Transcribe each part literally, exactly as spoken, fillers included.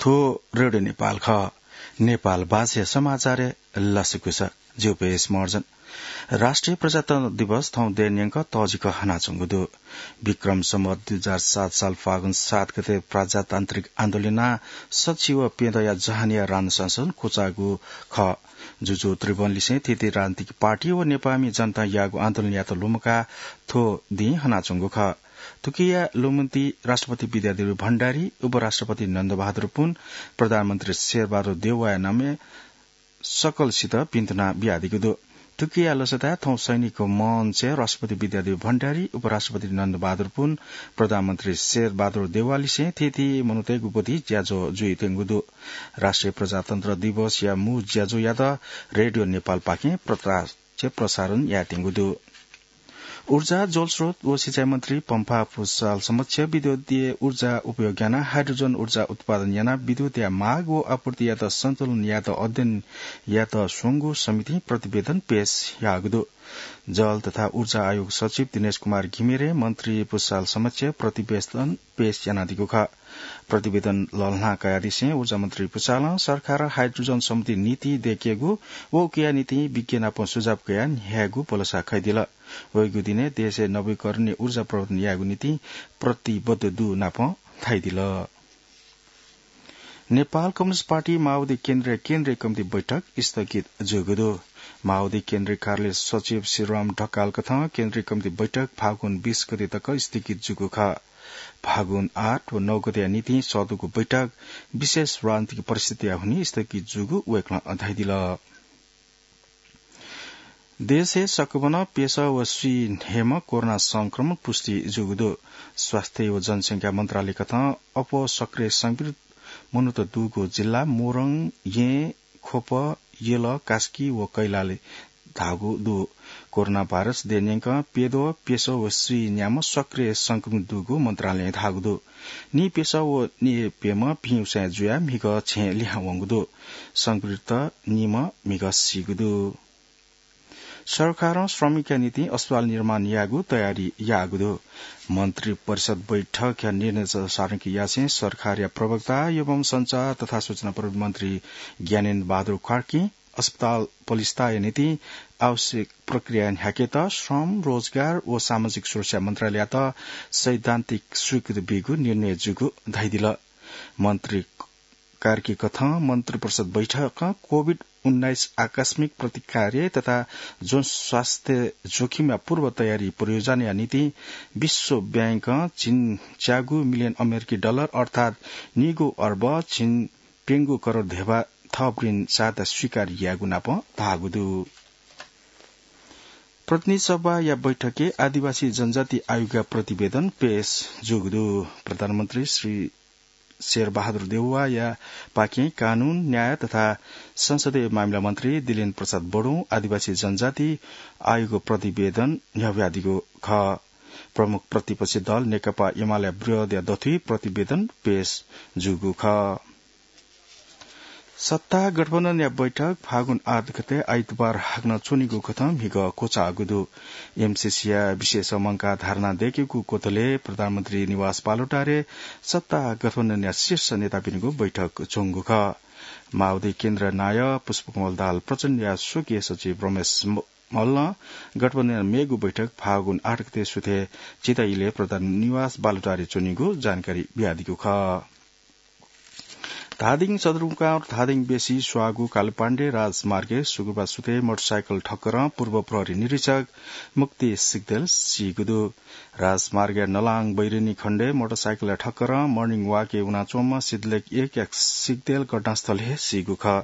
थ्व रेडियो नेपाल खः। नेपाल भाषाया समाचारय् लसकुस। ज्यू पेश मर्जन। राष्ट्रिय प्रजातन्त्र दिवस थौं देय् न्यंक तःजिक हनाच्वंगु दु। विक्रम सम्वत दुई हजार सात साल फागुन सात गते प्रजातान्त्रिक आन्दोलनया सच्छि व प्यदँया जहानया राणा शासन क्वचाःगु खः। जुजु त्रिभुवनलिसें थीथी राजनीतिक पार्टी व नेपाःमि जनतां याःगु आन्दोलनयात लुमंकाः थ्व दिं हनाच्वंगु खः। थुकिया लुमन्ति राष्ट्रपति विद्यादेवी भण्डारी, उपराष्ट्रपति नन्दबहादुर पुन, प्रधानमन्त्री शेरबहादुर देउवाया नामय् सकलसित भिन्तुना बियादीगु दु। थुकिया लसताय् थौं सैनिक मञ्चय् राष्ट्रपति विद्यादेवी भण्डारी, उपराष्ट्रपति नन्दबहादुर पुन, प्रधानमन्त्री शेरबहादुर देउवालिसें थीथी मनूतय्गु ब्वति ज्याझ्वः जुइत्यंगु दु। राष्ट्रिय प्रजातन्त्र दिवसया मू ज्याझ्वःयात रेडियो नेपालपाखें प्रकाश प्रसारण यायेत्यंगु दु। ऊर्जा, जलस्रोत व सिँचाइ मन्त्री पम्फा पुसाल समक्ष विद्युतीय ऊर्जा उपयोग यानाः हाइड्रोजन ऊर्जा उत्पादन यानाः विद्युतया माग व आपूर्तियात सन्तुलन यायेत अध्ययन यायेत स्वंगु समितिं प्रतिवेदन पेश याःगु दु। जल तथा ऊर्जा आयोग सचिव दिनेश कुमार घिमिरे मन्त्री पुसाल समक्ष प्रतिवेदन पेश यानादीगु खः। प्रतिवेदन लःल्हाना कयादिसें ऊर्जा मन्त्री पुसालं सरकारं हाइड्रोजन सम्बन्धी नीति दय्केगु व उकिया निंतिं विज्ञ नाप सुझाव कयाः न्ह्यायेगु भलसा खयादिल। वइगु दिनय् देशय् नवीकरणीय ऊर्जा प्रवर्धन यायेगु निंतिं प्रतिबद्ध दु नाप धाइदिल। नेपाल कम्युनिस्ट पार्टी माओवादी केन्द्रया केन्द्रीय कमिटी बैठक स्थगित जूगु दु। माओवादी केन्द्रीय कार्यालय सचिव श्रीराम ढकाल कथं केन्द्रीय कमिटी बैठक फागुन बीस गते तक स्थगित जूगु खः। फागुन आठ व नौ गतेया निंतिं सःतूगु बैठक विशेष राजनीतिक परिस्थितिया हुनिं स्थगित जूगु वय्कलं धयादिल। देशय् सकभनं प्यसः व स्वीन्हय्म्ह कोरोना संक्रमण पुष्टि जूगु दु। स्वास्थ्य व जनसंख्या मन्त्रालय कथं अप्वः सक्रिय संक्रमित मनूत दुगु जिल्ला मोरङ, येँ, ख्वप, यल, कास्की व कैलाली धाःगु दु। कोरोना भाइरस देय् न्यंकं प्यद्वः प्यसः व स्वीन्याम्ह सक्रिय संक्रमित दुगु मन्त्रालयं धाःगु दु। निप्यसः व निप्यम्ह भिं उसाँय् जुयाः म्हिगः छेँ लिहां वंगु दु। संक्रमितत निम्ह म्हिगः सीगु दु। सरकारं श्रमिकया निंतिं अस्पताल निर्माण यायेगु तयारी याःगु दु। मन्त्री परिषद बैठकया निर्णय सारणकी यासें सरकारया प्रवक्ता एवं सञ्चार तथा सूचना प्रविधि मन्त्री ज्ञानेन्द्र बहादुर कार्कीं अस्पताल पलिस्ताया निंतिं आवश्यक प्रक्रिया न्ह्याकेत श्रम, रोजगार व सामाजिक सुरक्षा मन्त्रालययात सैद्धान्तिक स्वीकृति बीगु निर्णय जूगु धयादिल। मन्त्री कार्की कथं मन्त्री परिषद बैठकं कोभिड उन्नाइस आकस्मिक प्रतिकार तथा जनस्वास्थ्य जोखिमया पूर्व तयारी परियोजनाया निंतिं विश्व बैंकं झिंच्यागू मिलियन अमेरिकी डलर अर्थात् निगू अर्ब झिंप्यंगू करोड धेबा थप ऋण सहायता स्वीकार यायेगु नाप धाःगु दु। प्रतिनिधि सभाया बैठकय् आदिवासी जनजाति आयोगया प्रतिवेदन पेश जूगु दु। प्रधानमन्त्री श्री शेरबहादुर देउवाया पाखें कानून, न्याय तथा संसदीय मामिला मन्त्री दिलेन प्रसाद बडुं आदिवासी जनजाति आयोगको प्रतिवेदन न्ह्याहुयादीगु खः। प्रमुख प्रतिपक्षी दल नेकपा एमालेया विरोधया दथुइ प्रतिवेदन पेश जूगु खः। सत्ता गठबन्धनया बैठक फागुन आठ गते आइतबार हाकनं च्वनीगु कथं म्हिगः क्वचाःगु दु। एमसिसीया विशेष मंकाः धारणा दय्केगु क्वथलय् प्रधानमन्त्री निवास बालुवाटारय् सत्ता गठबन्धनया शीर्ष नेतापिनिगु बैठक च्वंगु खः। माओवादी केन्द्र नायः पुष्पकमल दाहाल प्रचण्डया स्वकीय सचिव रमेश म-, मल्लं गठबन्धनया मेगु बैठक फागुन आठ गते सुथय् झिता इलय् प्रधानमन्त्री निवास बालुवाटारय् च्वनीगु जानकारी बियादीगु खः। धादिङ सदरमुकाम धादिङ बेसी स्वाःगु कालुपाण्डे राजमार्गय् शुक्रबार सुथय् मोटरसाइकल ठक्करं पूर्व प्रहरी निरीक्षक मुक्ति सिग्देल सीगु दु। राजमार्गया नलाङ बैरिनी खण्डय् मोटरसाइकलया ठक्करं मर्निङ वाकय् वनाच्वंम्ह सिद्धलेख एकया सिग्देल घटनास्थलय् हे सीगु खः।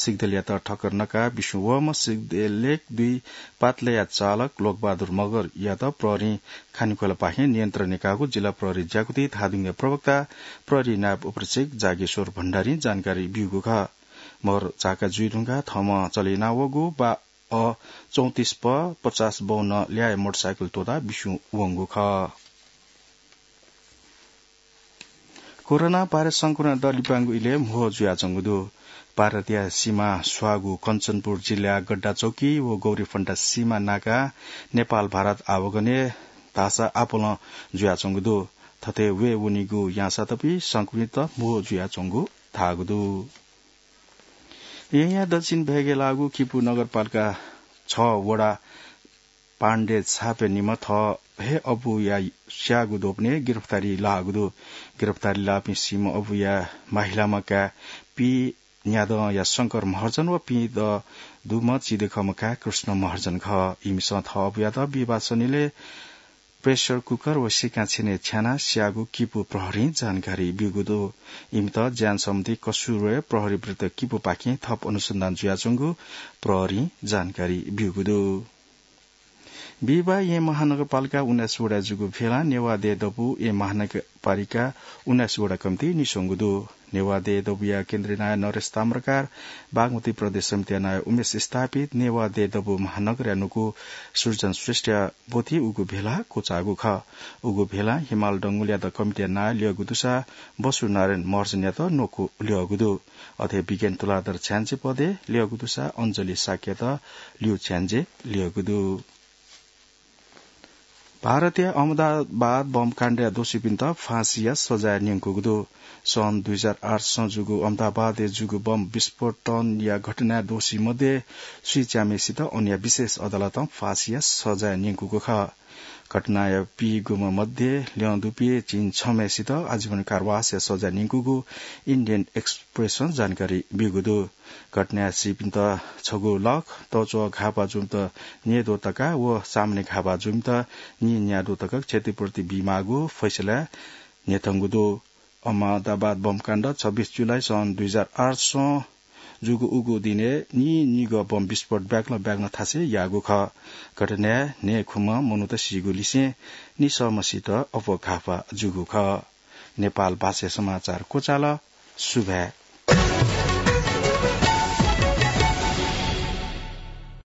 सिग्देलयात ठक्कर नकाः बिस्युं वःम्ह सिग्देल एक दुई पातलया चालक लोकबहादुर मगरयात प्रहरीं खानेखोलापाखें नियन्त्रणय् काःगु जिल्ला प्रहरी ज्याकुथि धादिङया प्रवक्ता प्रहरी नायब उपरीक्षक जागेश्वर भण्डारीं जानकारी ब्यूगु खः। मगर झाका जुइ धुंकाः थःम्हं चले यानावःगु बा अ चौंतिस प पचास बाउन्न ल्याः मोटरसाइकल त्वःताः बिस्युं वंगु खः। कोरोना भाइरस संक्रमण दर लिपांगु इलय् म्हो जुयाच्वंगु दु। भारतया सीमा स्वाःगु कञ्चनपुर जिल्लाया गड्डाचौकी व गौरीफन्टा सीमा नाकाः नेपाल भारत आवागमनय् धाःसा आपालं जुयाच्वंगु दु। थथे वये वनीगु याःसां तपि संक्रमित म्हो जुयाच्वंगु धाःगु दु। येँया दक्षिण भेगय् लाःगु किपु नगरपालिका छ वडा पाण्डे छापे निम्ह थः हे अबुया स्याःगु द्वपनय् गिरफ्तारी लाःगु दु। गिरफ्तारी लाःपिं सीम्ह अबुया माहिलाम्ह काय् पी न्यादँया शंकर महर्जन व पीदँ दुम्ह चिदेखःम्ह काय् कृष्ण महर्जन खः। इमिसं थः अबुयात विवाह सनिलय् pressure cooker व सिकां छेनय् छ्यानाः स्याःगु किपु प्रहरीं जानकारी ब्यूगु दु। इमित ज्यान सम्बन्धी कसुरय् प्रहरी विरुद्ध किपुपाखें थप अनुसन्धान जुयाच्वंगु प्रहरीं जानकारी ब्यूगु दु। बिहिबाः येँ महानगरपालिका उन्नाइस वडाय् जूगु भेलां नेवाः देय् दबू येँ महानगरपालिका उन्नाइस वडा कमिटी निस्वंगु दु। नेवाः देय् दबूया केन्द्रीय नायः नरेश ताम्रकार, बागमती प्रदेश समितिया नायः उमेश स्थापित, नेवाः देय् दबू महानगरया न्वकू सृजन श्रेष्ठया ब्वति उगु भेला क्वचाःगु खः। उगु भेलां हिमाल डंगोलयात कमिटीया नायः ल्यःगु दुसा बसु नारायण महर्जनयात न्वकू ल्यःगु दु। अथे विज्ञान तुलाधर छ्याञ्जे पदय् ल्यःगु दुसा अञ्जली शाक्ययात ल्यू छ्याञ्जे ल्यःगु दु। भारतया अहमदाबाद बम काण्डया दोषीपिन्त फाँसीया सजाय न्यंकूगु दु। सन् दुई हजार आठ सं जूगु अहमदाबादय् जूगु बम विस्फोटनया घटनाया दोषी मध्ये स्वीच्याम्हेसित अन्य विशेष अदालतं फाँसीया सजाय न्यंकूगु खः। घटनाया पीगुम्ह मध्ये ल्यं दुपिं झिंछम्हेसित आजीवन कारावासया सजाय न्यंकूगु इन्डियन एक्सप्रेसं जानकारी ब्यूगु दु। घटनाया सीपिन्त छगू लाख, तच्वः घाःपाः जूपिन्त न्यय्दँ तका व सामान्य घाःपाः जूपिन्त नीन्यादँ तका क्षतिपूर्ति बीमाःगु फैसला न्ह्यथंगु दु। अहमदाबाद बमकाण्ड छब्बीस जुलाई सन् दुई हजार आठ सं जूगु उगु दिनय् नीनिगः बम विस्फोट ब्यागलं ब्यागलं थासय् याःगु खः। घटनाय् न्हय्खुम्ह मनूत सीगु लिसें निसःम्हसित अप्वः घाःपाः जूगु खः। नेपाल भाषाय् समाचार क्वचाल। सुभाय्।